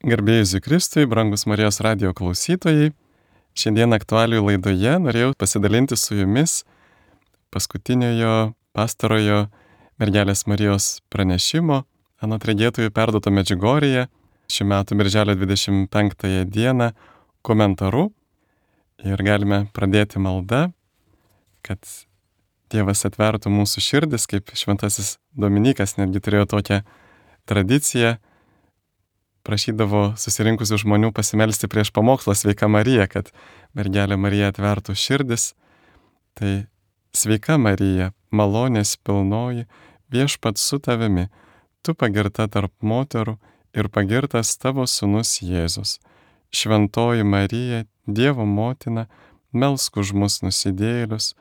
Garbėjai Jėzui Kristui, brangus Marijos radijo klausytojai, šiandien aktualijų laidoje norėjau pasidalinti su jumis paskutiniojo pastarojo mergelės Marijos pranešimo anot regėtojų perduoto Medžiugorjėje šių metų birželio 25 dieną komentaru ir galime pradėti maldą, kad Dievas atvertų mūsų širdis, kaip šventasis Dominikas netgi turėjo tokią tradiciją, prašydavo susirinkusių žmonių pasimelsti prieš pamokslą Sveika Marija, kad mergelė Marija atvertų širdis. Tai sveika Marija, malonės pilnoji, viešpats su tavimi, tu pagirta tarp moterų ir pagirtas tavo sūnus Jėzus. Šventoji Marija, Dievo motina, melsk už mus nusidėjėlius,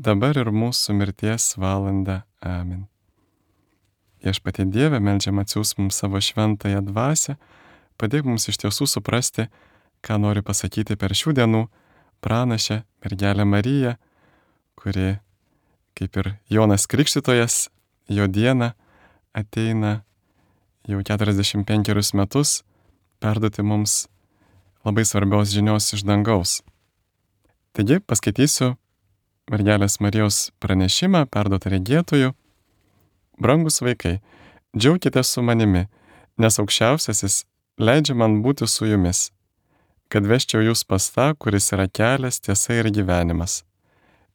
dabar ir mūsų mirties valandą. Amen. Viešpatie Dieve, meldžiam atsiųs mums savo šventąją dvasią, padėk mums iš tiesų suprasti, ką nori pasakyti per šių dienų pranašę mergelę Mariją, kuri, kaip ir Jonas Krikštytojas, jo dieną ateina jau 45 metus perduoti mums labai svarbios žinios iš dangaus. Taigi paskaitysiu mergelės Marijos pranešimą perduotą regėtojų. Brangus vaikai, džiaukitės su manimi, nes aukščiausiasis leidžia man būti su jumis, kad vesčiau jūs pas tą, kuris yra kelias, tiesa ir gyvenimas.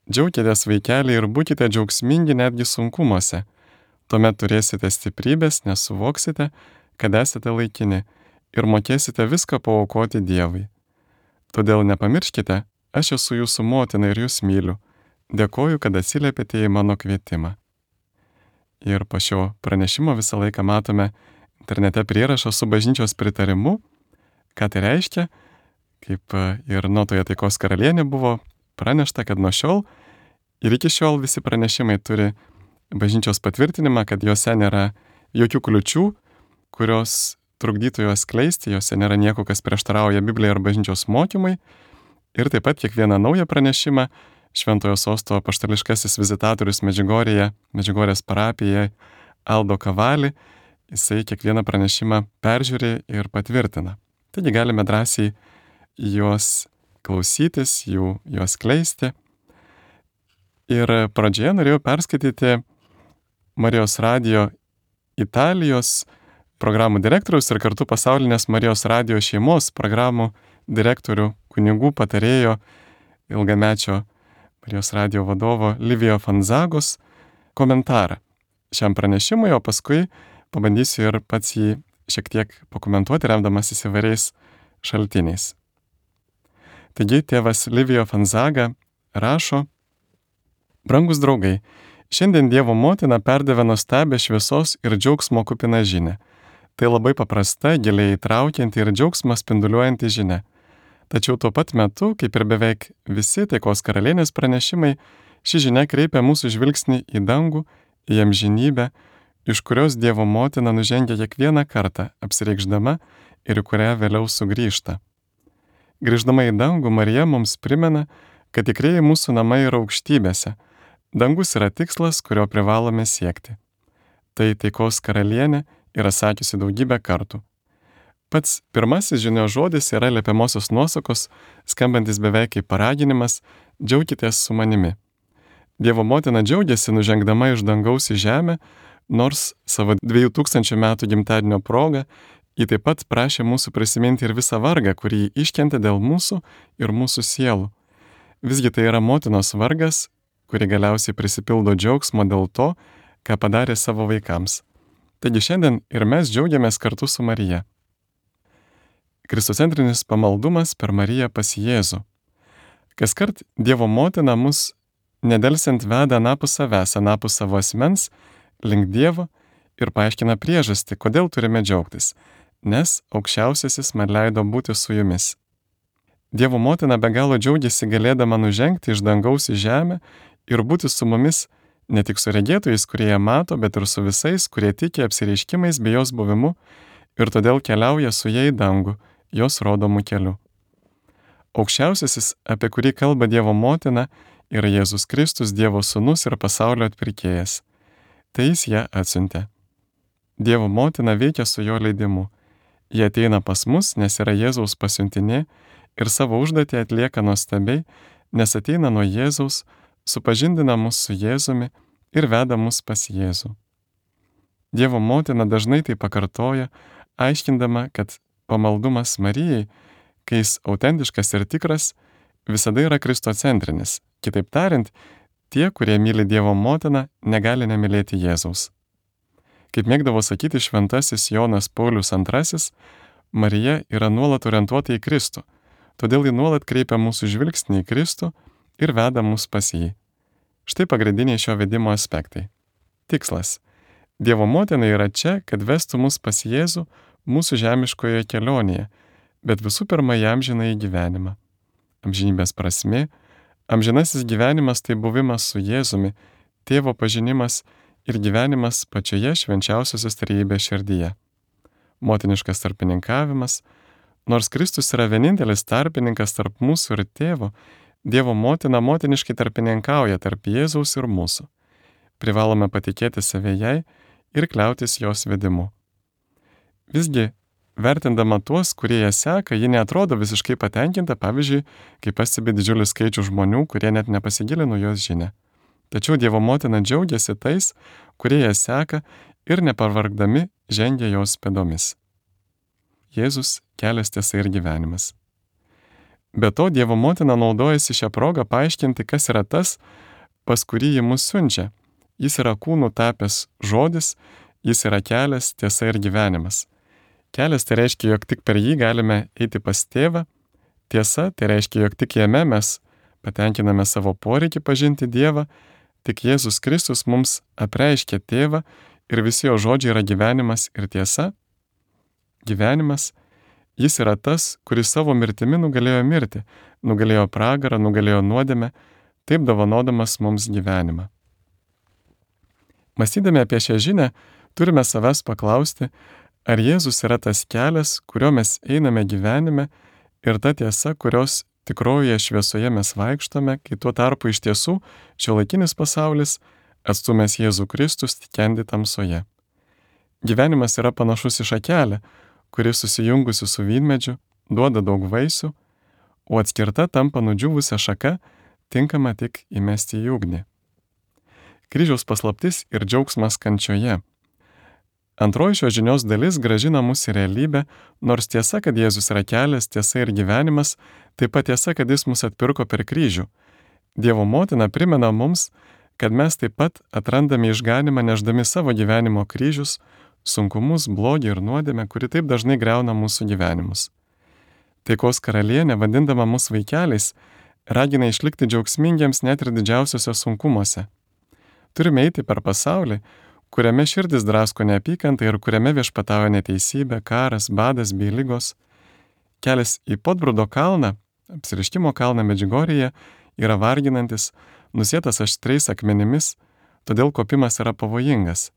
Džiaukitės vaikeliai ir būkite džiaugsmingi netgi sunkumuose, tuomet turėsite stiprybės, nes suvoksite, kad esate laikini ir mokėsite viską paaukoti Dievui. Todėl nepamirškite, aš esu jūsų motina ir jūs myliu, dėkoju, kad atsiliepėte į mano kvietimą. Ir po šio pranešimo visą laiką matome internete prierašą su bažnyčios pritarimu, ką tai reiškia, kaip ir Notoje taikos karalienė buvo pranešta, kad nuo šiol ir iki šiol visi pranešimai turi bažnyčios patvirtinimą, kad juose nėra jokių kliučių, kurios trukdytų juos skleisti, juose nėra nieko, kas prieštarauja Biblijai ar bažnyčios mokymai. Ir taip pat kiekvieną naują pranešimą Šventojo Sosto apaštališkasis vizitatorius Medžiugorjėje, Medžiugorjės parapijoje Aldo Kavali, jisai kiekvieną pranešimą peržiūri ir patvirtina. Taigi galime drąsiai juos klausytis, juos kleisti. Ir pradžioje norėjau perskaityti Marijos radijo Italijos programų direktoriaus ir kartu pasaulinės Marijos radijo šeimos programų direktorių, kunigų patarėjo, ilgamečio Marijos radijo vadovo Livijo Fanzagos komentarą šiam pranešimui, o paskui pabandysiu ir pats jį šiek tiek pakomentuoti, remdamasis įvairiais šaltiniais. Taigi tėvas Livijo Fanzaga rašo: Brangus draugai, šiandien Dievo motina perdavė nuostabią šviesos ir džiaugsmo kupiną žinią. Tai labai paprasta, giliai įtraukianti ir džiaugsmą spinduliuojanti žinia. Tačiau tuo pat metu, kaip ir beveik visi taikos karalienės pranešimai, ši žinia kreipia mūsų žvilgsnį į dangų, į amžinybę, iš kurios Dievo motina nužengia kiekvieną kartą, apsireikšdama ir į kurią vėliau sugrįžta. Grįždama į dangų, Marija mums primena, kad tikrieji mūsų namai yra aukštybėse. Dangus yra tikslas, kurio privalome siekti. Tai taikos karalienė yra sakiusi daugybę kartų. Pats pirmasis žinios žodis yra liepiamosios nuosakos, skambantis beveik kaip paraginimas: džiaukitės su manimi. Dievo motina džiaugiasi nužengdama iš dangaus į žemę, nors savo 2000 metų gimtadienio proga ji taip pat prašė mūsų prisiminti ir visą vargą, kurį ji iškentė dėl mūsų ir mūsų sielų. Visgi tai yra motinos vargas, kuri galiausiai prisipildo džiaugsmo dėl to, ką padarė savo vaikams. Taigi šiandien ir mes džiaugiamės kartu su Marija. Kristocentrinis pamaldumas per Mariją pas Jėzų. Kaskart Dievo motina mus nedelsiant veda anapus savęs, anapus savo asmens, link Dievo ir paaiškina priežastį, kodėl turime džiaugtis, nes aukščiausiasis man leido būti su jumis. Dievo motina be galo džiaugiasi galėdama nužengti iš dangaus į žemę ir būti su mumis ne tik su regėtojais, kurie ją mato, bet ir su visais, kurie tiki apsireiškimais bei jos buvimu ir todėl keliauja su ja į dangų, jos rodomų keliu. Aukščiausiasis, apie kurį kalba Dievo motina, yra Jėzus Kristus, Dievo sūnus ir pasaulio atpirkėjas. Tai jis ją atsiuntė. Dievo motina veikia su jo leidimu. Jie ateina pas mus, nes yra Jėzaus pasiuntinė ir savo užduotį atlieka nuostabiai, nes ateina nuo Jėzaus, supažindina mus su Jėzumi ir veda mus pas Jėzų. Dievo motina dažnai tai pakartoja, aiškindama, kad pamaldumas Marijai, kai jis autentiškas ir tikras, visada yra kristocentrinis. Kitaip tariant, tie, kurie myli Dievo motiną, negali nemylėti Jėzaus. Kaip mėgdavo sakyti šventasis Jonas Paulius II, Marija yra nuolat orientuota į Kristų, todėl ji nuolat kreipia mūsų žvilgsnį į Kristų ir veda mus pas jį. Štai pagrindiniai šio vedimo aspektai. Tikslas. Dievo motina yra čia, kad vestų mus pas Jėzų mūsų žemiškoje kelionėje, bet visų pirma į amžinąjį gyvenimą. Amžinybės prasmė, amžinasis gyvenimas tai buvimas su Jėzumi, tėvo pažinimas ir gyvenimas pačioje švenčiausiosios trejybės širdyje. Motiniškas tarpininkavimas, nors Kristus yra vienintelis tarpininkas tarp mūsų ir tėvo, Dievo motina motiniškai tarpininkauja tarp Jėzaus ir mūsų. Privalome patikėti save jai ir kliautis jos vedimu. Visgi, vertindama tuos, kurie ją seka, ji neatrodo visiškai patenkinta, pavyzdžiui, kai pastebi didžiulį skaičių žmonių, kurie net nepasigilino jos žinią. Tačiau Dievo motina džiaugiasi tais, kurie ją seka ir nepavargdami žengia jos pėdomis. Jėzus – kelias, tiesa ir gyvenimas. Be to, Dievo motina naudojasi šią progą paaiškinti, kas yra tas, pas kurį ji mus siunčia. Jis yra kūnų tapęs žodis, jis yra kelias, tiesa ir gyvenimas. Kelias tai reiškia, jog tik per jį galime eiti pas tėvą. Tiesa tai reiškia, jog tik jame mes patenkiname savo poreikį pažinti Dievą, tik Jėzus Kristus mums apreiškia tėvą ir visi jo žodžiai yra gyvenimas ir tiesa. Gyvenimas, jis yra tas, kuris savo mirtimi nugalėjo mirtį, nugalėjo pragarą, nugalėjo nuodėmę, taip dovanodamas mums gyvenimą. Mąstydami apie šią žinią, turime savęs paklausti, ar Jėzus yra tas kelias, kuriuo mes einame gyvenime ir ta tiesa, kurios tikrojoje šviesoje mes vaikštome, kai tuo tarpu iš tiesų šiuolaikinis pasaulis, atstumęs Jėzų Kristus, tikendi tamsoje. Gyvenimas yra panašus į šakelę, kuri susijungusi su vynmedžiu duoda daug vaisių, o atskirta tampa nudžiūvusią šaką, tinkama tik įmesti į ugnį. Kryžiaus paslaptis ir džiaugsmas kančioje. Antroji šios žinios dalis grąžina mus į realybę, nors tiesa, kad Jėzus yra kelias, tiesa ir gyvenimas, taip pat tiesa, kad jis mus atpirko per kryžių. Dievo motina primena mums, kad mes taip pat atrandame išganimą neždami savo gyvenimo kryžius, sunkumus, blogį ir nuodėmę, kuri taip dažnai griauna mūsų gyvenimus. Taikos karalienė, vadindama mus vaikeliais, ragina išlikti džiaugsmingiems net ir didžiausiuose sunkumuose. Turime eiti per pasaulį, kuriame širdis drasko neapykantą ir kuriame viešpatauja neteisybė, karas, badas bei ligos. Kelias į Podbrudo kalną, apsiriškimo kalną Medžiugorjėje, yra varginantis, nusėtas aštriais akmenimis, todėl kopimas yra pavojingas.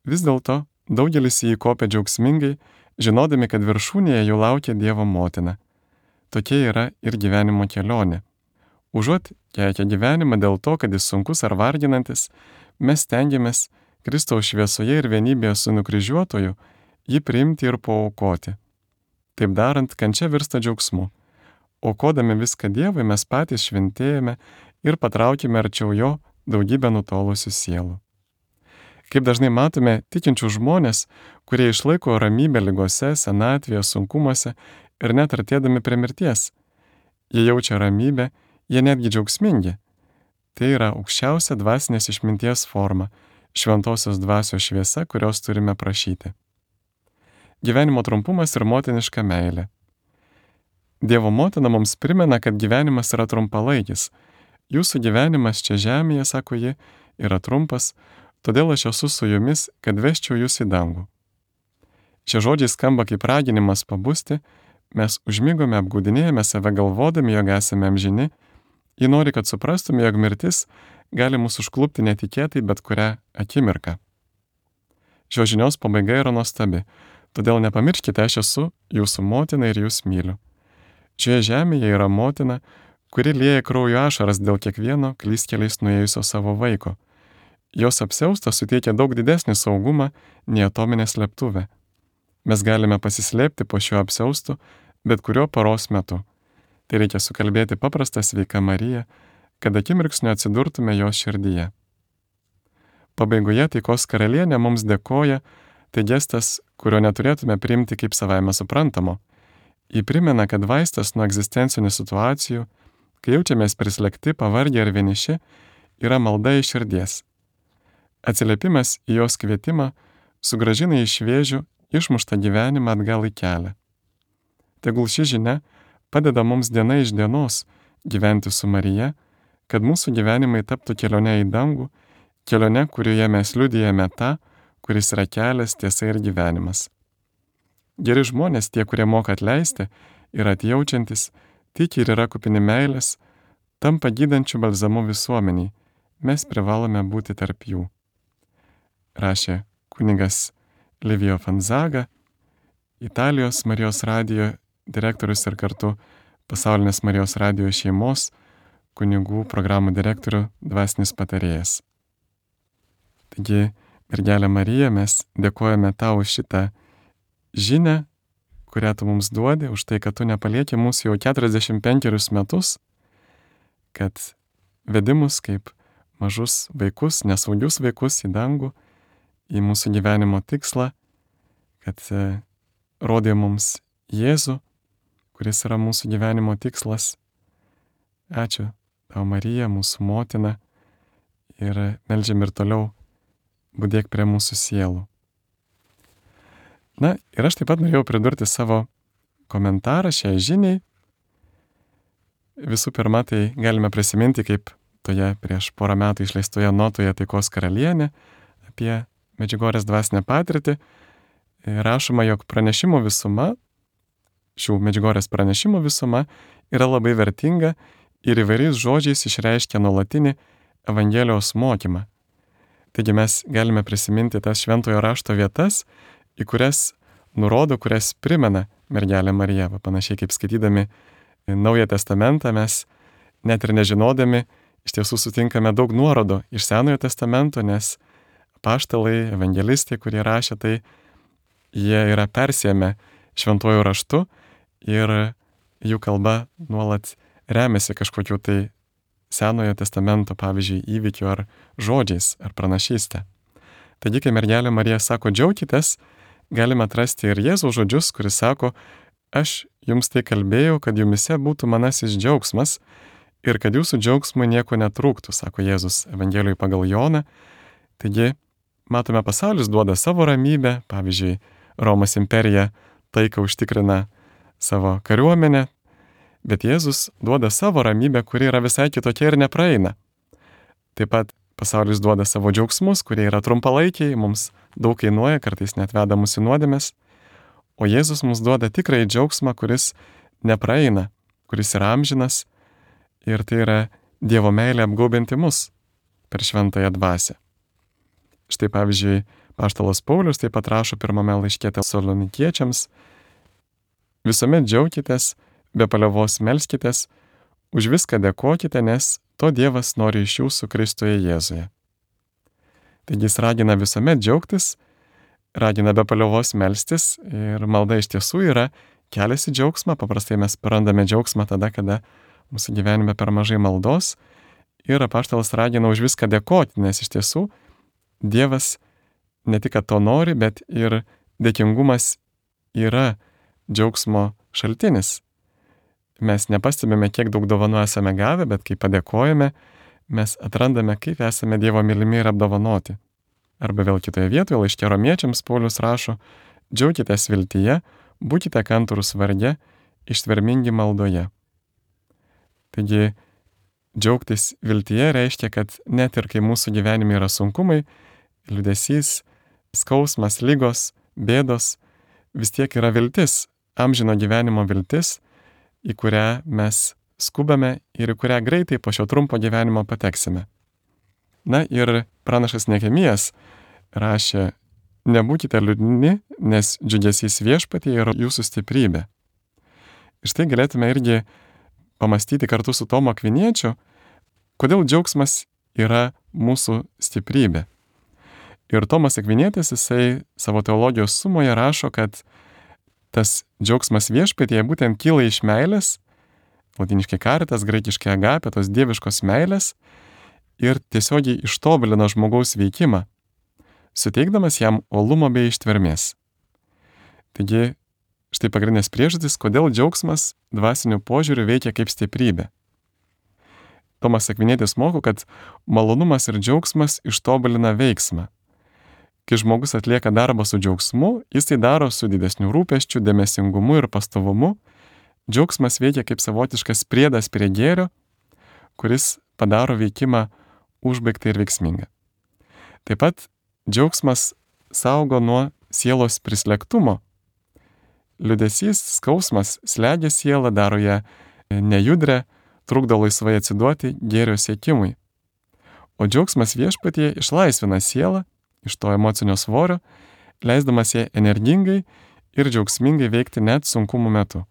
Vis dėlto daugelis į jį kopia džiaugsmingai, žinodami, kad viršūnėje jų laukia Dievo motina. Tokia yra ir gyvenimo kelionė. Užuot keikę gyvenimą dėl to, kad jis sunkus ar varginantis, mes stengiamės Kristaus šviesoje ir vienybėje su nukryžiuotoju jį priimti ir paaukoti. Taip darant, kančia virsta džiaugsmu. Aukodami viską Dievui, mes patys šventėjame ir patraukime arčiau jo daugybę nutolusių sielų. Kaip dažnai matome tikinčių žmonės, kurie išlaiko ramybę ligose, senatvėje, sunkumuose ir net artėdami prie mirties. Jie jaučia ramybę, jie netgi džiaugsmingi. Tai yra aukščiausia dvasinės išminties forma, šventosios dvasios šviesa, kurios turime prašyti. Gyvenimo trumpumas ir motiniška meilė. Dievo motina mums primena, kad gyvenimas yra trumpalaikis. Jūsų gyvenimas čia žemėje, sako ji, yra trumpas, todėl aš esu su jumis, kad vesčiau jūs į dangų. Šie žodžiai skamba kaip raginimas pabusti, mes užmigome, apgaudinėjame save galvodami, jog esame amžini. Ji nori, kad suprastume, jog mirtis gali mūsų užklupti netikėtai bet kurią akimirką. Šios žinios pabaiga yra nuostabi, todėl nepamirškite, aš esu jūsų motina ir jūs myliu. Šioje žemėje yra motina, kuri lieja kraujo ašaras dėl kiekvieno klystkeliais nuėjusio savo vaiko. Jos apsiaustas suteikia daug didesnį saugumą nei atominė slėptuvė. Mes galime pasislėpti po šiuo apsiaustu bet kuriuo paros metu. Tai reikia sukalbėti paprastą sveiką Mariją, kad akimirksniu atsidurtume jos širdyje. Pabaigoje taikos karalienė mums dėkoja, tai gestas, kurio neturėtume priimti kaip savaime suprantamo. Ji primena, kad vaistas nuo egzistencinių situacijų, kai jaučiamės prislėgti, pavargę ir vieniši, yra malda iš širdies. Atsiliepimas į jos kvietimą sugrąžina į šviežių, išmuštą gyvenimą atgal į kelią. Tegul ši žinia padeda mums diena iš dienos gyventi su Marija, kad mūsų gyvenimai taptų kelionė į dangų, kelionė, kurioje mes liudijame tą, kuris yra kelias, tiesa ir gyvenimas. Geri žmonės, tie, kurie moka atleisti ir atjaučiantis, tiki ir yra kupini meilės, tampa gydančių balzamu visuomeniai. Mes privalome būti tarp jų. Rašė kunigas Livio Fanzaga, Italijos Marijos radijo direktorius ir kartu Pasaulinės Marijos radijo šeimos kunigų programų direktorių dvasinis patarėjas. Taigi, mergelė Marija, mes dėkojame tau už šitą žinią, kurią tu mums duodi, už tai, kad tu nepalieki mūsų jau 45 metus, kad vedi mus kaip mažus vaikus, nesaugius vaikus į dangų, į mūsų gyvenimo tikslą, kad rodė mums Jėzų, kuris yra mūsų gyvenimo tikslas. Ačiū tau, Marija, mūsų motina, ir meldžiam ir toliau budėk prie mūsų sielų. Na, ir aš taip pat norėjau pridurti savo komentarą šiai žiniai. Visų pirma, tai galime prisiminti, kaip toje prieš porą metų išleistoje notoje Taikos karalienė apie Medžiugorjės dvasinę patirtį rašoma, jog pranešimų visuma, šių Medžiugorjės pranešimų visuma yra labai vertinga ir įvairiais žodžiais išreiškia nuolatinį Evangelijos mokymą. Taigi mes galime prisiminti tas šventojo rašto vietas, į kurias nurodo, kurias primena mergelė Marija. Panašiai kaip skaitydami Naują testamentą mes net ir nežinodami iš tiesų sutinkame daug nuorodų iš Senojo testamento, nes apaštalai, evangelistai, kurie rašė, tai jie yra persėmę šventuoju raštu ir jų kalba nuolat remiasi kažkokiu tai Senojo testamento, pavyzdžiui, įvykiu ar žodžiais ar pranašystė. Taigi, kai mergelė Marija sako džiaukitės, galime atrasti ir Jėzaus žodžius, kuris sako, aš jums tai kalbėjau, kad jumise būtų manasis džiaugsmas ir kad jūsų džiaugsmui nieko netrūktų, sako Jėzus Evangelijoje pagal Joną. Taigi, matome, pasaulis duoda savo ramybę, pavyzdžiui, Romos imperija taiką užtikrina savo kariuomenę, bet Jėzus duoda savo ramybę, kuri yra visai kitokia ir nepraeina. Taip pat pasaulis duoda savo džiaugsmus, kurie yra trumpalaikiai, mums daug kainuoja, kartais net veda mus į nuodėmes, o Jėzus mums duoda tikrai džiaugsmą, kuris nepraeina, kuris yra amžinas, ir tai yra Dievo meilė apgaubinti mus per šventąją dvasią. Štai pavyzdžiui, apaštalas Paulius taip pat rašo pirmame laiške Tesalonikiečiams, visuomet džiaukitės, be paliovos melskitės, už viską dėkokite, nes to Dievas nori iš jūsų Kristuje Jėzuje. Taigi jis ragina visuomet džiaugtis, ragina be paliovos melstis ir malda iš tiesų yra kelias į džiaugsmą. Paprastai mes prarandame džiaugsmą tada, kada mūsų gyvenime per mažai maldos ir apaštalas ragina už viską dėkoti, nes iš tiesų Dievas ne tik, kad to nori, bet ir dėkingumas yra džiaugsmo šaltinis. Mes nepastebime, kiek daug dovanų esame gavę, bet kai padėkojame, mes atrandame, kaip esame Dievo mylimi ir apdovanoti. Arba vėl kitoje vietoje laiške Romiečiams Paulius rašo, džiaukitės viltyje, būkite kantrūs varge, ištvermingi maldoje. Taigi, džiaugtis viltyje reiškia, kad net ir kai mūsų gyvenime yra sunkumai, liūdesys, skausmas, ligos, bėdos, vis tiek yra viltis, amžino gyvenimo viltis, į kurią mes skubame ir į kurią greitai po šio trumpo gyvenimo pateksime. Na ir pranašas Nehemijas rašė, nebūkite liūdni, nes džiugesys viešpatyje yra jūsų stiprybė. Ir štai galėtume irgi pamastyti kartu su Tomu Akviniečiu, kodėl džiaugsmas yra mūsų stiprybė. Ir Tomas Akvinietis, jisai savo teologijos sumoje rašo, kad tas džiaugsmas viešpatyje būtent kyla iš meilės, latiniškai caritas, graikiškai agapė, tos dieviškos meilės, ir tiesiogiai ištobulina žmogaus veikimą, suteikdamas jam uolumo bei ištvermės. Taigi, štai pagrindinės priežastys, kodėl džiaugsmas dvasiniu požiūriu veikia kaip stiprybė. Tomas Akvinietis moko, kad malonumas ir džiaugsmas ištobulina veiksmą. Kai žmogus atlieka darbą su džiaugsmu, jis tai daro su didesniu rūpesčiu, dėmesingumu ir pastovumu. Džiaugsmas veikia kaip savotiškas priedas prie gėrio, kuris padaro veikimą užbaigtą ir veiksmingą. Taip pat džiaugsmas saugo nuo sielos prislėgtumo. Liūdesys, skausmas slegia sielą, daro ją nejudrę, trukdo laisvai atsiduoti gėrio siekimui. O džiaugsmas viešpatyje išlaisvina sielą iš to emocinio svorio, leisdamas ją energingai ir džiaugsmingai veikti net sunkumų metu.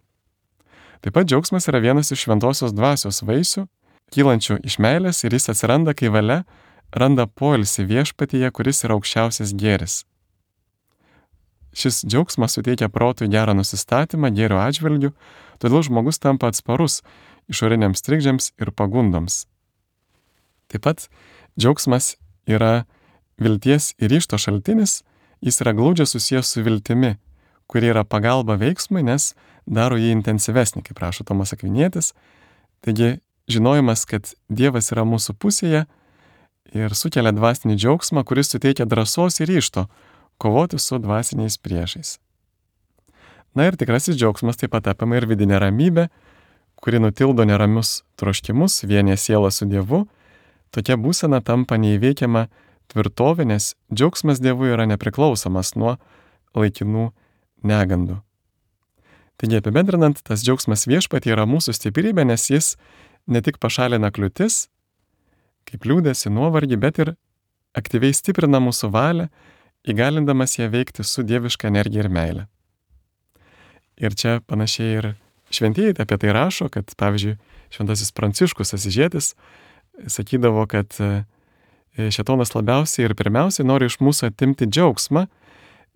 Taip pat džiaugsmas yra vienas iš šventosios dvasios vaisių, kylančių iš meilės, ir jis atsiranda, kai valia randa poilsį viešpatyje, kuris yra aukščiausias gėris. Šis džiaugsmas suteikia protui gerą nusistatymą gėrio atžvilgiu, todėl žmogus tampa atsparus išoriniams trikdžiams ir pagundoms. Taip pat džiaugsmas yra vilties ir ryžto šaltinis, jis yra glaudžiai susijęs su viltimi, kuri yra pagalba veiksmui, nes daro jį intensyvesnį, kaip rašo Tomas Akvinietis. Taigi, žinojimas, kad Dievas yra mūsų pusėje ir sukelia dvasinį džiaugsmą, kuris suteikia drąsos ir ryžto kovoti su dvasiniais priešais. Na ir tikrasis džiaugsmas taip pat apima ir vidinę ramybę, kuri nutildo neramius troškimus, vienija sielą su Dievu. Tokia būsena tampa neįveikiama tvirtovė, nes džiaugsmas Dievui yra nepriklausomas nuo laikinų negandų. Taigi apibendrinant, tas džiaugsmas viešpatyje yra mūsų stiprybė, nes jis ne tik pašalina kliūtis, kaip liūdėsi, nuovargį, bet ir aktyviai stiprina mūsų valią, įgalindamas ją veikti su dieviška energija ir meile. Ir čia panašiai ir šventieji apie tai rašo, kad pavyzdžiui šventasis Pranciškus Asyžietis sakydavo, kad šėtonas labiausiai ir pirmiausiai nori iš mūsų atimti džiaugsmą,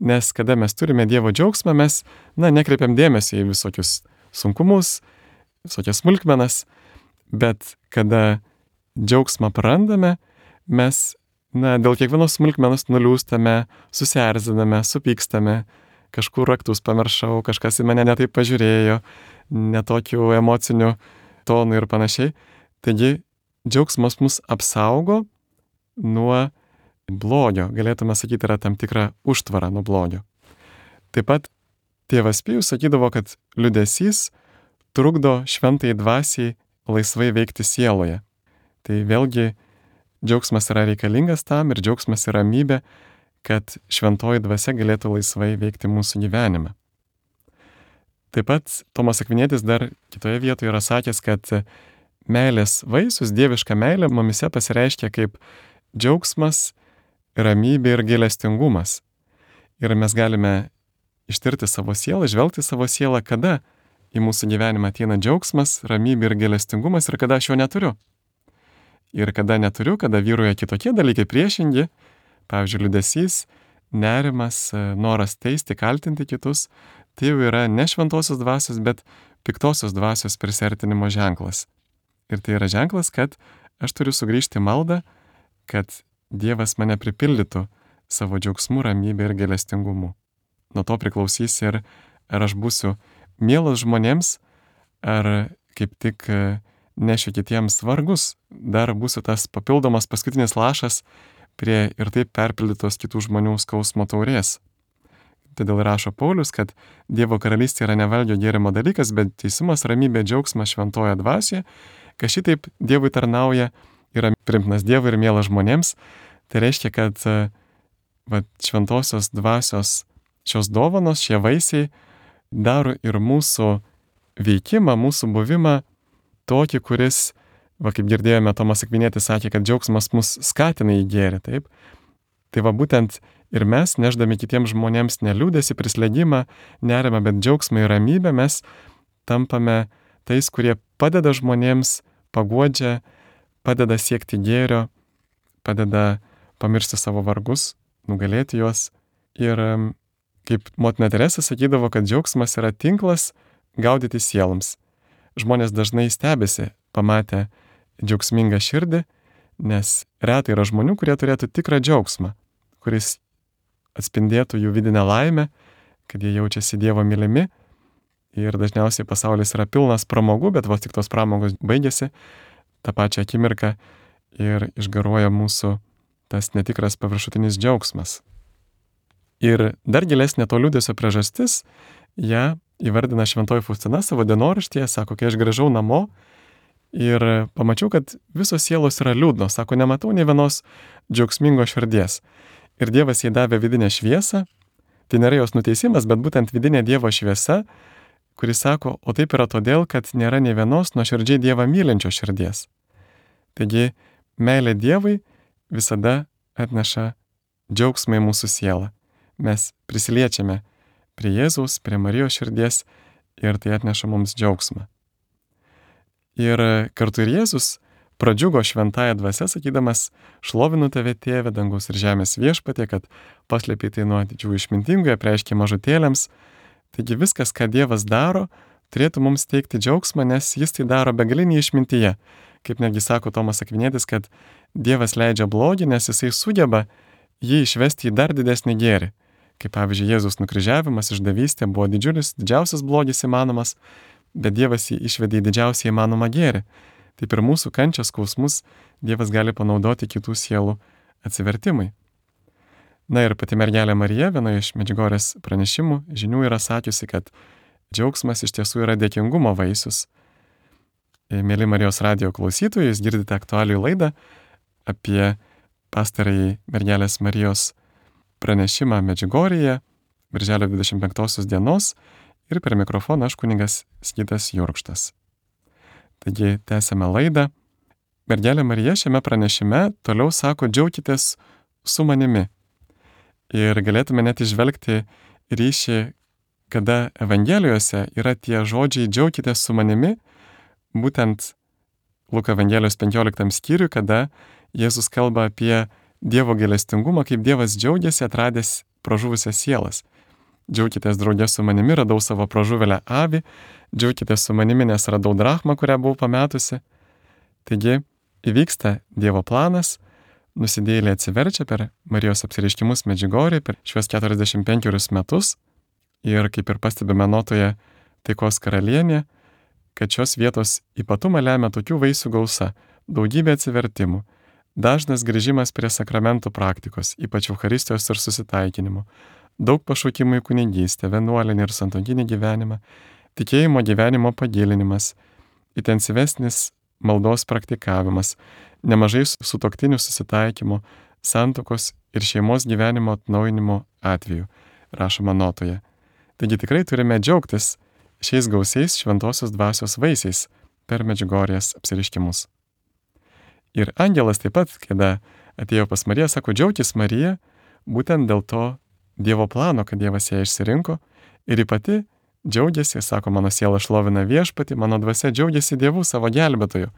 nes kada mes turime Dievo džiaugsmą, mes, nekreipiam dėmesio į visokius sunkumus, visokias smulkmenas, bet kada džiaugsmą prarandame, mes, dėl kiekvienos smulkmenos nuliūstame, susierziname, supykstame, kažkur raktus pamiršau, kažkas į mane netaip pažiūrėjo, netokių emocinių tonų ir panašiai. Taigi, džiaugsmas mus apsaugo nuo blogio, galėtume sakyti, yra tam tikra užtvara nuo blogio. Taip pat tėvas Pijus sakydavo, kad liūdesys trukdo šventai dvasiai laisvai veikti sieloje. Tai vėlgi džiaugsmas yra reikalingas tam ir džiaugsmas yra ramybė, kad šventoji dvasia galėtų laisvai veikti mūsų gyvenime. Taip pat Tomas Akvinietis dar kitoje vietoje yra sakęs, kad meilės vaisius, dieviška meilė mumise pasireiškia kaip džiaugsmas, ramybė ir gailestingumas. Ir mes galime ištirti savo sielą, žvelgti savo sielą, kada į mūsų gyvenimą ateina džiaugsmas, ramybė ir gailestingumas ir kada aš jo neturiu. Ir kada neturiu, kada vyruoja kitokie dalykai priešingi, pavyzdžiui, liūdesys, nerimas, noras teisti, kaltinti kitus, tai jau yra ne šventosios dvasios, bet piktosios dvasios prisertinimo ženklas. Ir tai yra ženklas, kad aš turiu sugrįžti į maldą, kad Dievas mane pripildytų savo džiaugsmu, ramybė ir gailestingumu. Nuo to priklausys ir ar aš būsiu mielas žmonėms, ar kaip tik nešiu kitiems vargus, dar būsiu tas papildomas paskutinis lašas prie ir taip perpildytos kitų žmonių skausmo taurės. Todėl rašo Paulius, kad Dievo karalystė yra ne valgio gėrimo dalykas, bet teisumas, ramybė, džiaugsmas šventoje dvasioje, kad šitaip Dievui tarnauja, yra priimtinas Dievui ir mielas žmonėms. Tai reiškia, kad šventosios dvasios šios dovanos, šie vaisiai daro ir mūsų veikimą, mūsų buvimą tokį, kuris, kaip girdėjome, Tomas Akvinietis sakė, kad džiaugsmas mus skatina į gėrį, taip? Tai būtent ir mes, nešdami kitiems žmonėms ne liūdesį, prislėgimą, nerimą, bet džiaugsmą ir ramybę, mes tampame tais, kurie padeda žmonėms, paguodžia, padeda siekti gėrio, padeda pamiršti savo vargus, nugalėti juos. Ir kaip motina Teresė sakydavo, kad džiaugsmas yra tinklas gaudyti sieloms. Žmonės dažnai stebisi, pamatę džiaugsmingą širdį, nes retai yra žmonių, kurie turėtų tikrą džiaugsmą, kuris atspindėtų jų vidinę laimę, kad jie jaučiasi Dievo mylimi. Ir dažniausiai pasaulis yra pilnas pramogų, bet vos tik tos pramogos baigėsi tą pačią akimirką ir išgaruoja mūsų tas netikras paviršutinis džiaugsmas. Ir dar gilesnė to liūdesio priežastis, ją įvardina Šventoji Faustina savo dienoraštyje, sako, kai aš grįžau namo ir pamačiau, kad visos sielos yra liūdnos, sako, nematau nei vienos džiaugsmingos širdies. Ir Dievas jai davė vidinę šviesą, tai nėra jos nuteisimas, bet būtent vidinė Dievo šviesa, kuris sako, o taip yra todėl, kad nėra nei vienos nuoširdžiai Dievą mylinčios širdies. Taigi, meilė Dievui visada atneša džiaugsmą į mūsų sielą. Mes prisiliečiame prie Jėzaus, prie Marijos širdies ir tai atneša mums džiaugsmą. Ir kartu ir Jėzus pradžiugo šventąja dvasia, sakydamas, šlovinu tave, Tėve, dangaus ir žemės viešpatie, kad paslėpei tai nuo didžiųjų išmintingų, apreiškei mažutėliams. Taigi viskas, ką Dievas daro, turėtų mums teikti džiaugsmą, nes jis tai daro begalinį išmintyje. Kaip netgi sako Tomas Akvinietis, kad Dievas leidžia blogį, nes jisai sugeba jį išvesti į dar didesnį gėrį. Kaip pavyzdžiui, Jėzus nukryžiavimas, išdavystė buvo didžiausias blogis įmanomas, bet Dievas jį išvedė į didžiausią įmanomą gėrį. Taip ir mūsų kančios, skausmus Dievas gali panaudoti kitų sielų atsivertimui. Na ir pati mergelė Marija vienoje iš Medžiugorės pranešimų žinių yra sakiusi, kad džiaugsmas iš tiesų yra dėkingumo vaisius. Mėly Marijos radijo klausytojai, jūs girdite aktualijų laidą apie pastarąjį mergelės Marijos pranešimą Medžiugorėje, birželio 25 dienos, ir per mikrofoną aš kunigas Sigitas Jurkštas. Taigi tęsime laidą. Mergelė Marija šiame pranešime toliau sako, džiaukitės su manimi. Ir galėtume net išvelgti ryšį, kada Evangelijose yra tie žodžiai džiaukitės su manimi, būtent Luko Evangelijos 15 skyriui, kada Jėzus kalba apie Dievo gailestingumą, kaip Dievas džiaugiasi atradęs pražuvusias sielas. Džiaukitės draugė su manimi, radau savo pražuvėlę avį, džiaukitės su manimi, nes radau drachmą, kurią buvau pametusi. Taigi įvyksta Dievo planas, nusidėjėliai atsiverčia per Marijos apsireiškimus Medžiugorėje per šiuos 45 metus ir kaip ir pastebime notoje Taikos karalienė, kad šios vietos ypatumą lemia tokių vaisių gausa, daugybė atsivertimų, dažnas grįžimas prie sakramentų praktikos, ypač Eucharistijos ir susitaikinimo, daug pašaukimų į kunigystę, vienuolinį ir santuokinį gyvenimą, tikėjimo gyvenimo pagilinimas, intensyvesnis maldos praktikavimas, nemažai sutuoktinių susitaikymo, santuokos ir šeimos gyvenimo atnaujinimo atveju, rašoma notoje. Taigi tikrai turime džiaugtis šiais gausiais šventosios dvasios vaisiais per Medžiugorės apsireiškimus. Ir angelas taip pat, kada atėjo pas Mariją, sako, džiaukis Marija, būtent dėl to Dievo plano, kad Dievas ją išsirinko, ir ji pati džiaugiasi, sako, mano siela šlovina viešpatį, mano dvasia džiaugiasi Dievu savo gelbėtoju.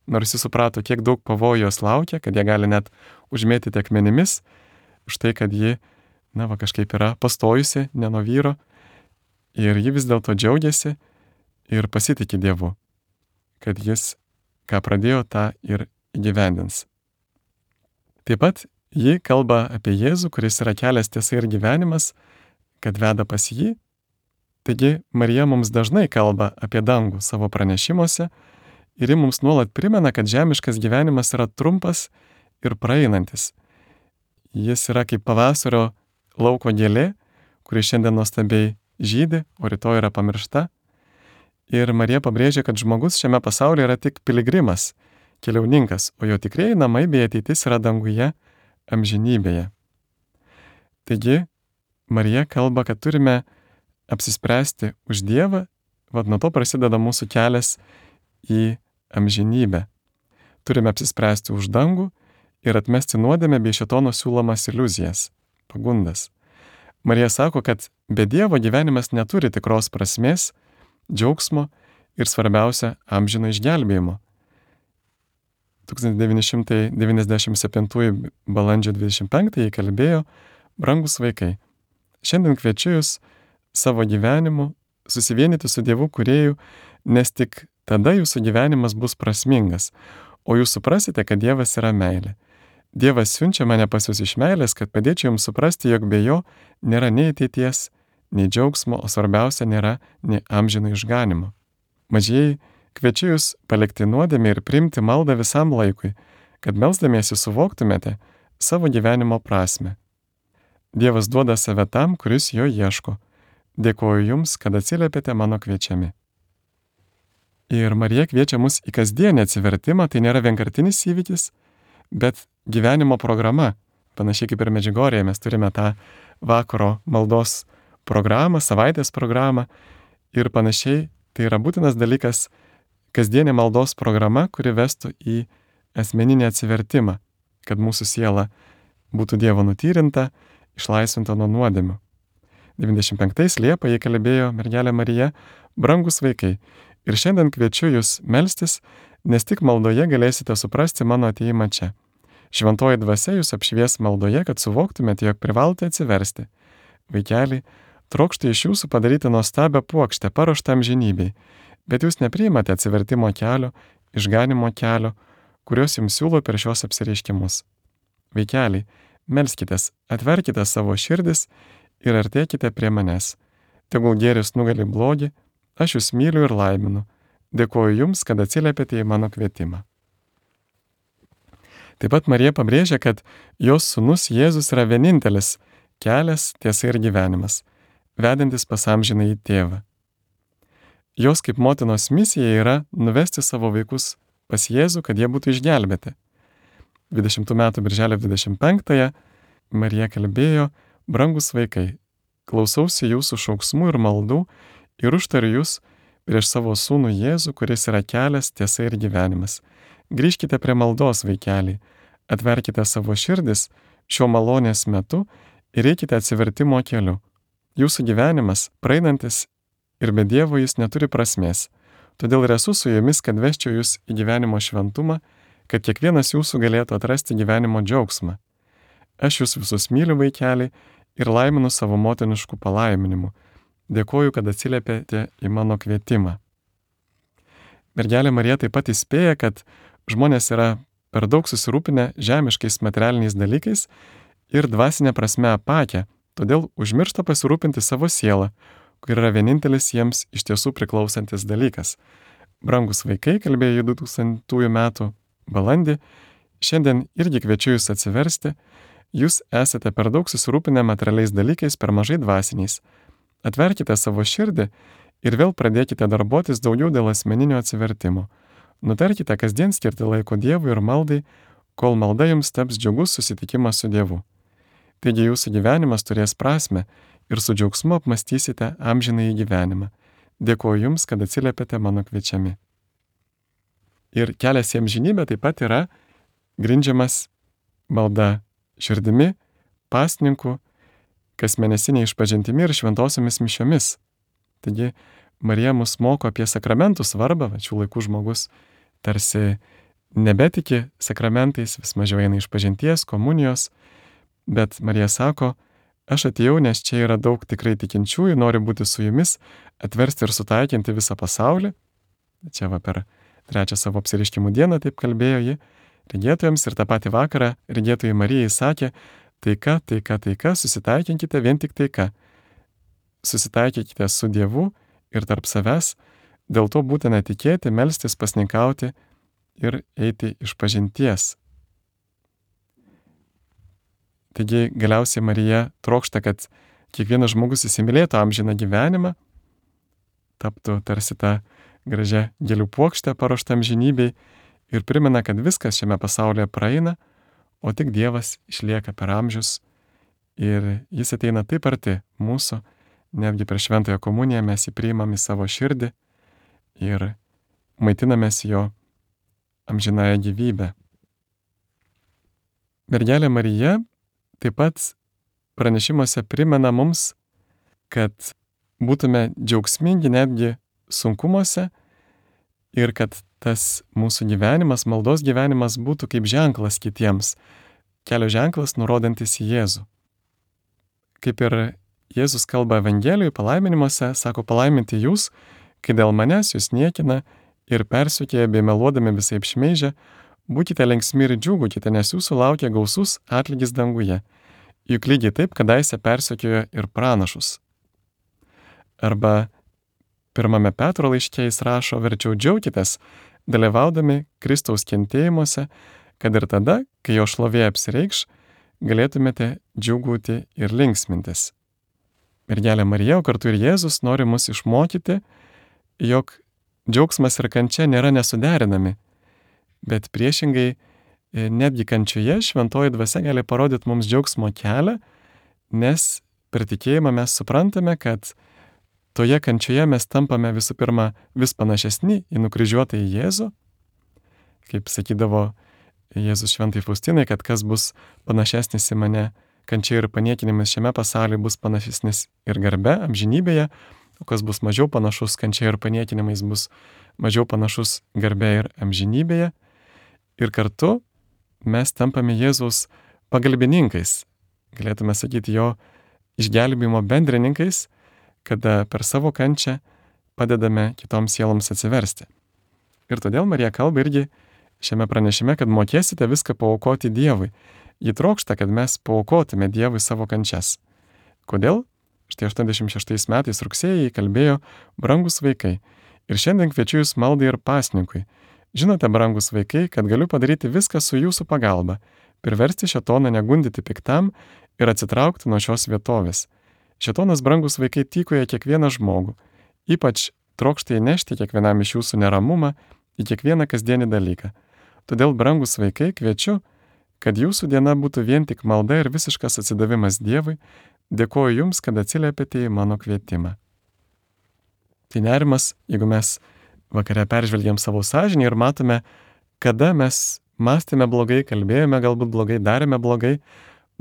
Nors jis suprato, kiek daug pavojų jos laukia, kad jie gali net užmėtyti akmenimis, už tai, kad ji, kažkaip yra pastojusi, ne nuo vyro, ir ji vis dėlto džiaugiasi ir pasitikė Dievu, kad jis, ką pradėjo, tą ir įgyvendins. Taip pat ji kalba apie Jėzų, kuris yra kelias, tiesa ir gyvenimas, kad veda pas jį. Taigi Marija mums dažnai kalba apie dangų savo pranešimuose ir ji mums nuolat primena, kad žemiškas gyvenimas yra trumpas ir praeinantis. Jis yra kaip pavasario lauko gėlė, kuri šiandien nuostabiai žydi, o rytoj yra pamiršta. Ir Marija pabrėžia, kad žmogus šiame pasaulyje yra tik piligrimas, keliauninkas, o jo tikrieji namai bei ateitis yra danguje, amžinybėje. Taigi, Marija kalba, kad turime apsispręsti už Dievą, nuo to prasideda mūsų kelias į amžinybę. Turime apsispręsti už dangų ir atmesti nuodėmę bei šėtono siūlomas iliuzijas, pagundas. Marija sako, kad be Dievo gyvenimas neturi tikros prasmės, džiaugsmo ir svarbiausia amžino išgelbėjimo. 1997 balandžio 25 kalbėjo Brangus vaikai, šiandien kviečiu jūs savo gyvenimu susivienyti su Dievu kūrėju, nes tik tada jūsų gyvenimas bus prasmingas, o jūs suprasite, kad Dievas yra meilė. Dievas siunčia mane pas jūs iš meilės, kad padėčiau jums suprasti, jog be jo nėra nei ateities, nei džiaugsmo, o svarbiausia nėra nei amžino išganimo. Mažieji, kviečiu jūs palikti nuodėmę ir priimti maldą visam laikui, kad melsdamiesi suvoktumėte savo gyvenimo prasme. Dievas duoda save tam, kuris jo ieško. Dėkoju jums, kad atsiliepėte mano kviečiami. Ir Marija kviečia mus į kasdienį atsivertimą, tai nėra vienkartinis įvykis, bet gyvenimo programa. Panašiai kaip ir Medžiugorėje mes turime tą vakaro maldos programą, savaitės programą ir panašiai. Tai yra būtinas dalykas kasdienė maldos programa, kuri vestų į asmeninį atsivertimą, kad mūsų siela būtų Dievo nutyrinta, išlaisvinta nuo nuodėmių. 95 Liepą jie kalbėjo mergelė Marija, brangus vaikai, ir šiandien kviečiu jūs melstis, nes tik maldoje galėsite suprasti mano ateimą čia. Šventoji dvasia jūs apšvies maldoje, kad suvoktumėte, jog privalote atsiversti. Vaikeliai, trokšta iš jūsų padaryti nuostabią puokštę, paruoštą amžinybei, bet jūs nepriimate atsivertimo kelio, išganimo kelio, kuriuos jums siūlo per šios apsireiškimus. Vaikeliai, melskitės, atverkite savo širdis ir artėkite prie manęs. Tegul gėris nugali blogį, aš jūs myliu ir laiminu. Dėkoju jums, kad atsiliepėte į mano kvietimą. Taip pat Marija pabrėžia, kad jos sūnus Jėzus yra vienintelis kelias, tiesa ir gyvenimas, vedantis pas amžinąjį tėvą. Jos kaip motinos misija yra nuvesti savo vaikus pas Jėzų, kad jie būtų išgelbėti. 20 metų birželio 25-ąją Marija kalbėjo, brangus vaikai, klausausi jūsų šauksmų ir maldų ir užtariu jūs prieš savo sūnų Jėzų, kuris yra kelias, tiesa ir gyvenimas. Grįžkite prie maldos, vaikeliai, atverkite savo širdis šio malonės metu ir eikite atsivertimo keliu. Jūsų gyvenimas, praeinantis ir be Dievo jis neturi prasmės. Todėl ir esu su jumis, kad vesčiau jūs į gyvenimo šventumą, kad kiekvienas jūsų galėtų atrasti gyvenimo džiaugsmą. Aš jūs visus myliu, vaikeliai, ir laiminu savo motiniškų palaiminimu. Dėkoju, kad atsiliepėte į mano kvietimą. Mergelė Marija taip pat įspėja, kad žmonės yra per daug susirūpinę žemiškais materialiniais dalykais ir dvasinė prasme apakę, todėl užmiršta pasirūpinti savo sielą, kur yra vienintelis jiems iš tiesų priklausantis dalykas. Brangus vaikai, kalbėjo 2000 metų balandį, šiandien irgi kviečiu jūs atsiversti, jūs esate per daug susirūpinę materialiais dalykais, per mažai dvasiniais. Atverkite savo širdį ir vėl pradėkite darbuotis daugiau dėl asmeninio atsivertimo. Nutarkite kasdien skirti laiko Dievui ir maldai, kol malda jums taps džiugus susitikimas su Dievu. Taigi jūsų gyvenimas turės prasmę ir su džiaugsmu apmastysite amžinąjį gyvenimą. Dėkoju jums, kad atsiliepėte mano kviečiami. Ir kelias į amžinybę taip pat yra grindžiamas malda širdimi, pasninku, kasmėnesiniai išpažintimi ir šventosiomis mišiomis. Taigi Marija mus moko apie sakramentų svarbą, šių laikų žmogus tarsi nebetiki sakramentais, vis mažiau eina išpažinties, komunijos, bet Marija sako, aš atėjau, nes čia yra daug tikrai tikinčiųjų, noriu būti su jumis, atversti ir sutaikinti visą pasaulį. Čia va per 3 savo apsireiškimų dieną taip kalbėjo ji regėtojams ir tą patį vakarą regėtojai Marijai sakė, taika, taika, taika, susitaikinkite vien tik taika. Susitaikykite su Dievu ir tarp savęs, dėl to būtina tikėti, melstis, pasninkauti ir eiti išpažinties. Taigi galiausiai Marija trokšta, kad kiekvienas žmogus įsimylėtų amžiną gyvenimą, taptų tarsi tą gražią gėlių puokštę paruoštą amžinybei ir primena, kad viskas šiame pasaulyje praeina, o tik Dievas išlieka per amžius ir jis ateina taip arti mūsų, netgi per šventąją komuniją mes jį priimam į savo širdį ir maitinamės jo amžinąją gyvybę. Mergelė Marija taip pat pranešimuose primena mums, kad būtume džiaugsmingi netgi sunkumuose ir kad tas mūsų gyvenimas, maldos gyvenimas būtų kaip ženklas kitiems, kelio ženklas nurodantis į Jėzų. kaip ir Jėzus kalba Evangelijoje, palaiminimuose, sako, palaiminti jūs, kai dėl manęs jūs niekina ir persekioja bei meluodami visai šmeižia, būkite linksmi ir džiūgaukite, nes jūsų laukia gausus atlygis danguje. Juk lygiai taip kadaise persekiojo ir pranašus. Arba 1 Petro laiške jis rašo, verčiau džiaukitės, dalyvaudami Kristaus kentėjimuose, kad ir tada, kai jo šlovė apsireikš, galėtumėte džiūgauti ir linksmintis. Mergelė Marija, o kartu ir Jėzus nori mus išmokyti, jog džiaugsmas ir kančia nėra nesuderinami, bet priešingai netgi kančioje šventoji dvasia gali parodyti mums džiaugsmo kelią, nes per tikėjimą mes suprantame, kad toje kančioje mes tampame visų pirma vis panašesni į nukryžiuotą į Jėzų, kaip sakydavo Jėzus šventai Faustinai, kad kas bus panašesnis į mane kančia ir paniekinimas šiame pasaulyje bus panašesnis ir garbe, amžinybėje, o kas bus mažiau panašus kančia ir paniekinimais bus mažiau panašus garbe ir amžinybėje. Ir kartu mes tampame Jėzaus pagalbininkais, galėtume sakyti jo išgelbėjimo bendrininkais, kada per savo kančią padedame kitoms sieloms atsiversti. Ir todėl Marija kalba irgi šiame pranešime, kad mokėsite viską paaukoti Dievui. Ji trokšta, kad mes paaukotume Dievui savo kančias. Kodėl? Štai 86 metais rugsėjį kalbėjo, brangus vaikai. Ir šiandien kviečiu jūs maldai ir pasninkui. Žinote, brangus vaikai, kad galiu padaryti viską su jūsų pagalba, priversti šėtoną negundyti piktam ir atsitraukti nuo šios vietovės. Šėtonas, brangus vaikai, tykoja kiekvieną žmogų, ypač trokšta įnešti kiekvienam iš jūsų neramumą į kiekvieną kasdienį dalyką. Todėl, brangus vaikai, kviečiu, kad jūsų diena būtų vien tik malda ir visiškas atsidavimas Dievui. Dėkoju jums, kad atsiliepėte į mano kvietimą. Tai nerimas, jeigu mes vakare peržvelgiam savo sąžinį ir matome, kada mes mąstėme blogai, kalbėjome galbūt blogai, darėme blogai,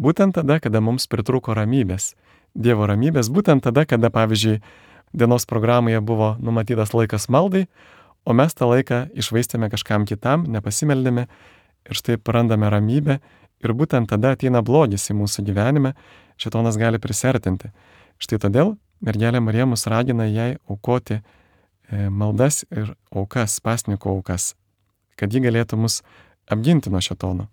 būtent tada, kada mums pritrūko ramybės. Dievo ramybės, būtent tada, kada, pavyzdžiui, dienos programoje buvo numatytas laikas maldai, o mes tą laiką išvaistėme kažkam kitam, nepasimeldėme ir štai prarandame ramybę ir būtent tada ateina blogis į mūsų gyvenime, šėtonas gali prisertinti. Štai todėl mergelė Marija mus ragina jai aukoti maldas ir aukas, pasninkų aukas, kad ji galėtų mus apginti nuo šėtono.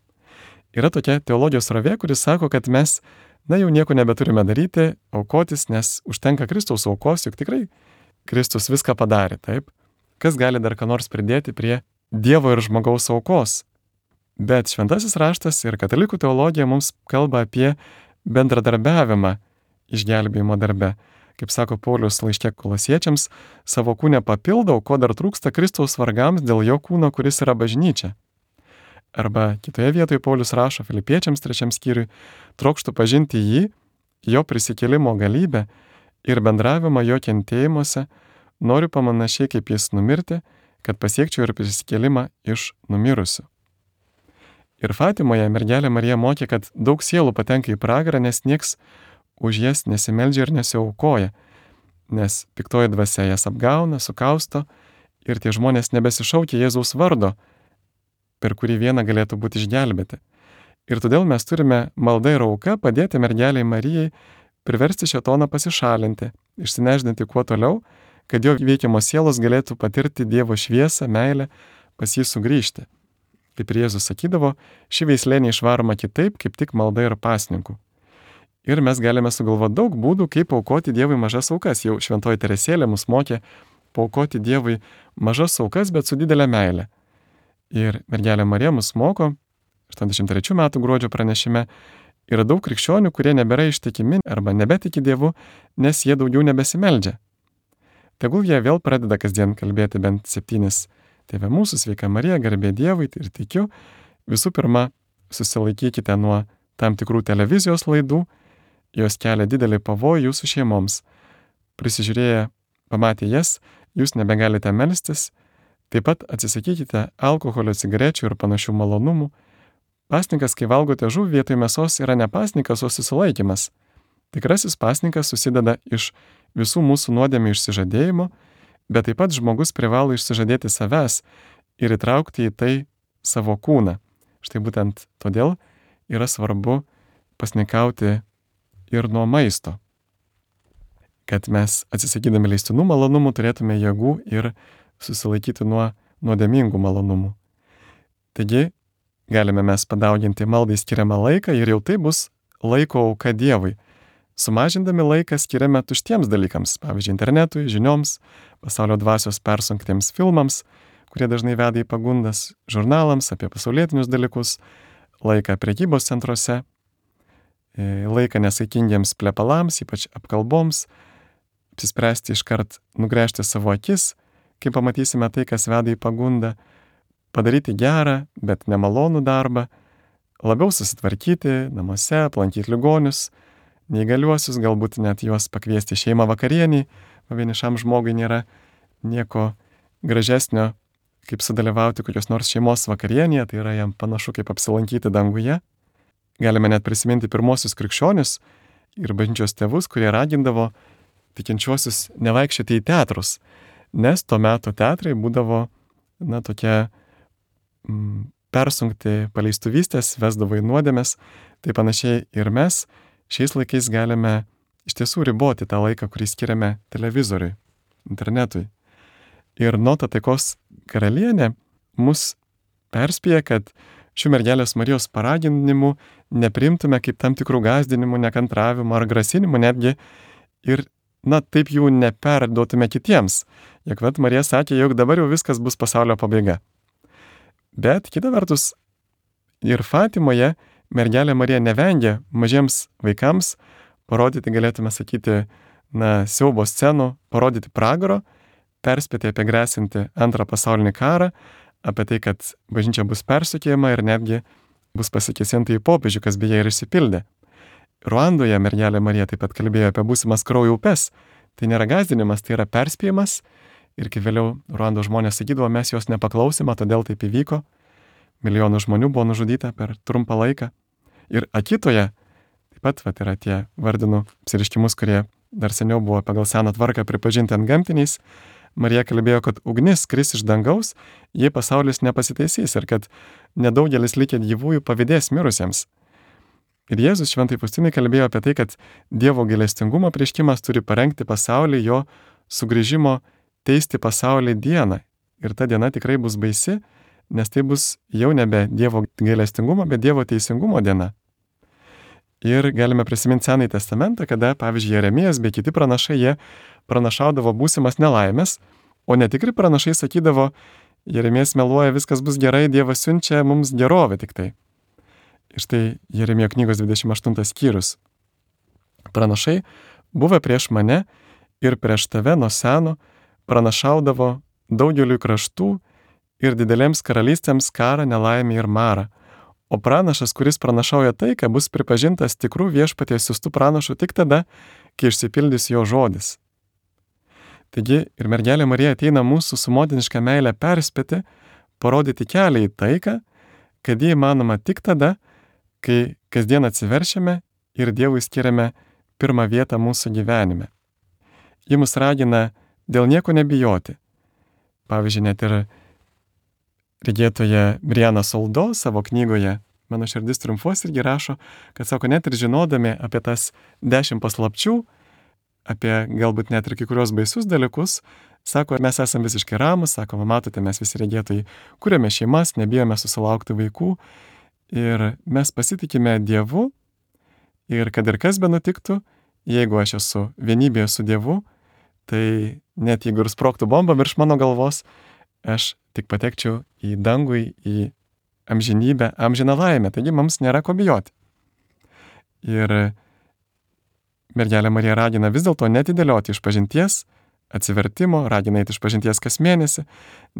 Yra tokia teologijos srovė, kuris sako, kad mes, jau nieko nebeturime daryti, aukotis, nes užtenka Kristaus aukos, juk tikrai Kristus viską padarė, taip? Kas gali dar ką nors pridėti prie Dievo ir žmogaus aukos? Bet šventasis raštas ir katalikų teologija mums kalba apie bendradarbiavimą išgelbėjimo darbe. Kaip sako Paulius laiške Kolosiečiams, savo kūne papildau, ko dar trūksta Kristaus vargams dėl jo kūno, kuris yra bažnyčia. Arba kitoje vietoje Paulius rašo Filipiečiams 3 skyriui, trokštų pažinti jį, jo prisikėlimo galybę ir bendravimą jo kentėjimuose, noriu pamanašiai kaip jis numirti, kad pasiekčiau ir prisikėlimą iš numirusių. Ir Fatimoje mergelė Marija mokė, kad daug sielų patenka į pragarą, nes nieks už jas nesimeldžia ir nesiaukoja, nes piktoji dvasia jas apgauna, sukausto ir tie žmonės nebesišaukia Jėzaus vardo, per kurį vieną galėtų būti išgelbėti. Ir todėl mes turime malda ir auka padėti mergeliai Marijai priversti šėtoną pasišalinti, išsineždinti kuo toliau, kad jo veikiamos sielos galėtų patirti Dievo šviesą, meilę, pas jį sugrįžti. Kaip ir Jėzus sakydavo, ši veislė neišvaroma kitaip, kaip tik malda ir pasninkų. Ir mes galime sugalvoti daug būdų, kaip aukoti Dievui mažas aukas. Jau šventoji Teresėlė mus mokė paaukoti Dievui mažas aukas, bet su didelė meilė. Ir mergelė Marija mus moko, 83 metų gruodžio pranešime, yra daug krikščionių, kurie nebėra ištikimi arba nebetiki Dievu, nes jie daugiau nebesimeldžia. Tegul jie vėl pradeda kasdien kalbėti bent 7 Tėve mūsų, sveika Marija, garbė Dievui ir tikiu. Visų pirma, susilaikykite nuo tam tikrų televizijos laidų, jos kelia didelį pavojų jūsų šeimoms. Prisižiūrėję, pamatę jas, jūs nebegalite melstis. Taip pat atsisakykite alkoholio, cigarečių ir panašių malonumų. Pasninkas, kai valgote žuvį vietoj mėsos, yra ne pasninkas, o susilaikymas. Tikrasis pasninkas susideda iš visų mūsų nuodėmių išsižadėjimo, bet taip pat žmogus privalo išsižadėti savęs ir įtraukti į tai savo kūną. Štai būtent todėl yra svarbu pasninkauti ir nuo maisto. Kad mes atsisakydami leistinų malonumų turėtume jėgų ir susilaikyti nuo nuodėmingų malonumų. Taigi, galime mes padauginti maldai skiriamą laiką ir jau tai bus laiko auka Dievui. Sumažindami laiką skiriame tuštiems dalykams, pavyzdžiui, internetui, žinioms, pasaulio dvasios persunktiems filmams, kurie dažnai veda į pagundas, žurnalams apie pasaulietinius dalykus, laiką prekybos centruose, laiką nesaikingiems plepalams, ypač apkalboms, apsispręsti iškart nugręžti savo akis, kai pamatysime tai, kas veda į pagundą, padaryti gerą, bet nemalonų darbą, labiau susitvarkyti namuose, aplankyti ligonius, neįgaliuosius, galbūt net juos pakviesti šeimą vakarienį, vienišam žmogui nėra nieko gražesnio, kaip sudalyvauti kokios nors šeimos vakarienėje, tai yra jam panašu kaip apsilankyti danguje. Galime net prisiminti pirmosius krikščionius ir bažnyčios tėvus, kurie ragindavo tikinčiuosius nevaikščioti į teatrus, nes tuo metu teatrai būdavo, tokie persunkti paleistuvystės, vesdavo į nuodėmes, tai panašiai ir mes šiais laikais galime iš tiesų riboti tą laiką, kurį skiriame televizoriui, internetui. Ir Nota taikos karalienė mus perspėja, kad šių mergelės Marijos paraginimų neprimtume kaip tam tikrų gąsdinimų, nekantravimų ar grasinimų netgi ir, taip jų neperduotume kitiems. Juk Marija sakė, jog dabar jau viskas bus pasaulio pabaiga. Bet kita vertus, ir Fatimoje mergelė Marija nevengia mažiems vaikams parodyti, galėtume sakyti, siaubo scenų, parodyti pragaro, perspėti apie grėsinti antrą pasaulinį karą, apie tai, kad bažnyčia bus persekiojama ir netgi bus pasikėsinta į popiežių, kas beje ir išsipildė. Ruandoje mergelė Marija taip pat kalbėjo apie būsimas kraujo upes. Tai nėra gąsdinimas, tai yra perspėjimas. Ir kai vėliau Ruandos žmonės sakydavo, mes jos nepaklausime, todėl taip įvyko. Milijonų žmonių buvo nužudyta per trumpą laiką. Ir Akitoje taip pat yra tie vardinų apsireiškimus, kurie dar seniau buvo pagal seną tvarką pripažinti antgamtiniais. Marija kalbėjo, kad ugnis kris iš dangaus, jei pasaulis nepasitaisys ir kad nedaugelis likę gyvųjų pavydės mirusiems. Ir Jėzus šventai Faustinai kalbėjo apie tai, kad Dievo gailestingumo apreiškimas turi parengti pasaulį jo sugrįžimo teisti pasaulį dieną. Ir ta diena tikrai bus baisi, nes tai bus jau nebe Dievo gailestingumo, bet Dievo teisingumo diena. Ir galime prisiminti Senąjį testamentą, kada, pavyzdžiui, Jeremijas bei kiti pranašai, jie pranašaudavo būsimas nelaimės, o netikri pranašai sakydavo, Jeremijas meluoja, viskas bus gerai, Dievas siunčia mums gerovę tik tai. Ir štai Jeremijo knygos 28 skyrius. Pranašai, buvę prieš mane ir prieš tave nuo seno, pranašaudavo daugeliui kraštų ir didelėms karalystėms karą, nelaimę ir marą. O pranašas, kuris pranašauja taiką, bus pripažintas tikrų viešpaties siųstų pranašų tik tada, kai išsipildys jo žodis. Taigi ir mergelė Marija ateina mūsų su motiniška meile perspėti, parodyti kelią į taiką, kad jį įmanoma tik tada, kai kasdien atsiveršiame ir Dievui skiriame pirmą vietą mūsų gyvenime. Ji mus ragina dėl nieko nebijoti. Pavyzdžiui, net ir regėtoja Briana Soldo savo knygoje Mano širdis triumfuos irgi rašo, kad sako, net ir žinodami apie tas 10 paslapčių, apie galbūt net ir kai kurios baisius dalykus, sako, mes esame visiškai ramus, sako, matote, mes visi regėtojai kuriame šeimas, nebijome susilaukti vaikų ir mes pasitikime Dievu ir kad ir kas be nutiktų, jeigu aš esu vienybėje su Dievu, tai net jeigu ir sprogtų bomba virš mano galvos, aš tik patekčiau į dangų, į amžinybę, amžiną laimę, taigi mums nėra ko bijoti. Ir mergelė Marija ragina vis dėlto netidėlioti išpažinties, atsivertimo, ragina eiti išpažinties kas mėnesį,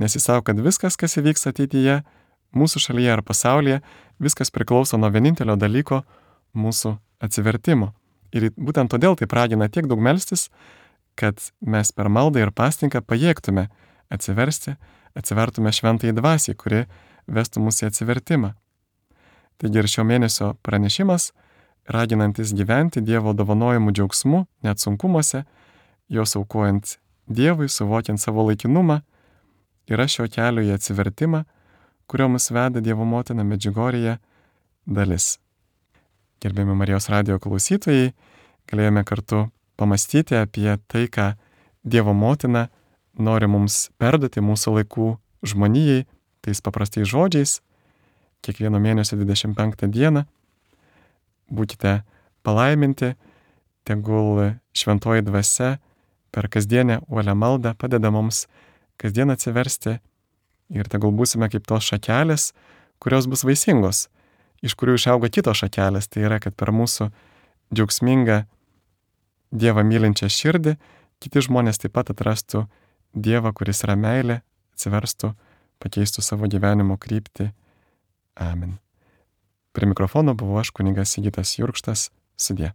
nes jis sako, kad viskas, kas įvyks ateityje, mūsų šalyje ar pasaulyje, viskas priklauso nuo vienintelio dalyko mūsų atsivertimo. Ir būtent todėl taip ragina tiek daug melstis, kad mes per maldą ir pasninką pajėgtume atsiversti, atsivertume šventąjį dvasią, kuri vestų mus į atsivertimą. Taigi ir šio mėnesio pranešimas, raginantis gyventi Dievo dovanojimų džiaugsmu, net sunkumuose, jos aukojant Dievui, suvokiant savo laikinumą, yra šio kelio į atsivertimą, kurio mus veda Dievo motina Medžiugorjėje dalis. Gerbiami Marijos radijo klausytojai, galėjome kartu pamastyti apie tai, ką Dievo motina nori mums perduoti mūsų laikų žmonijai, tais paprastais žodžiais. Kiekvieno mėnesio 25 dieną būkite palaiminti, tegul šventoji dvasia per kasdienę uolią maldą padeda mums kasdien atsiversti ir tegul būsime kaip tos šakelės, kurios bus vaisingos, iš kurių išauga kitos šakelės. Tai yra, kad per mūsų džiaugsmingą Dievą mylinčią širdį kiti žmonės taip pat atrastų Dievą, kuris yra meilė, atsiverstų, pakeistų savo gyvenimo kryptį. Amen. Prie mikrofono buvau aš, kunigas Sigitas Jurkštas. Sudie.